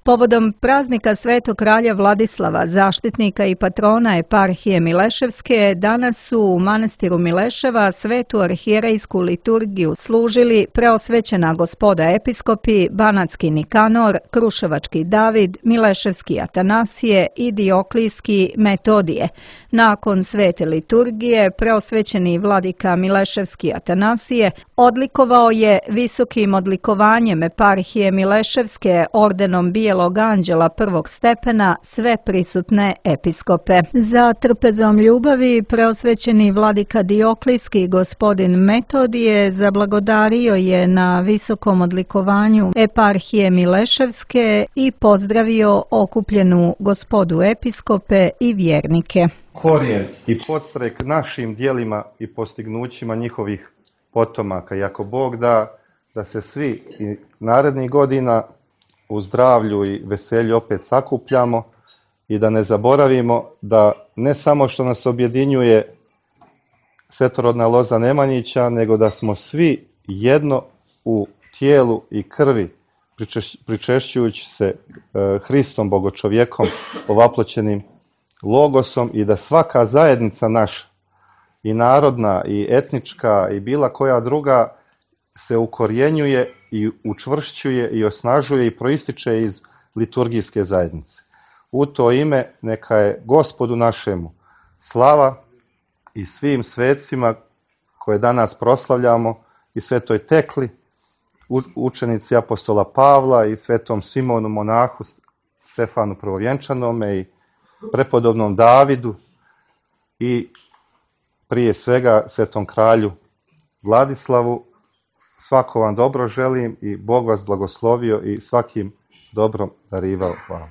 Povodom praznika Svetog kralja Vladislava, zaštitnika i patrona eparhije Mileševske, danas su u manastiru Mileševa svetu arhijerejsku liturgiju služili preosvećena gospoda episkopi Banatski Nikanor, Kruševački David, Mileševski Atanasije i Dioklijski Metodije. Nakon svete liturgije, preosvećeni vladika Mileševski Atanasije odlikovao je visokim odlikovanjem eparhije Mileševske ordenom Bijelog anđela prvog stepena sve prisutne episkope. Za trpezom ljubavi preosvećeni vladika Dioklijski gospodin Metodije zablagodario je na visokom odlikovanju eparhije Mileševske i pozdravio okupljenu gospodu episkope i vjernike. Korijen i podstrek našim djelima i postignućima njihovih potomaka. I ako Bog da se svi i narednih godina u zdravlju i veselju opet sakupljamo i da ne zaboravimo da ne samo što nas objedinjuje svetorodna loza Nemanjića, nego da smo svi jedno u tijelu i krvi, pričešćujući se Hristom, Bogočovjekom, ovaploćenim logosom, i da svaka zajednica naša, i narodna, i etnička, i bila koja druga, se ukorjenjuje i učvršćuje i osnažuje i proističe iz liturgijske zajednice. U to ime neka je Gospodu našemu slava i svim svecima koje danas proslavljamo, i svetoj Tekli, učenici apostola Pavla, i svetom Simonu monahu, Stefanu Prvovjenčanome, i prepodobnom Davidu, i prije svega svetom kralju Vladislavu. Svako vam dobro želim i Bog vas blagoslovio i svakim dobrom darivao. Hvala.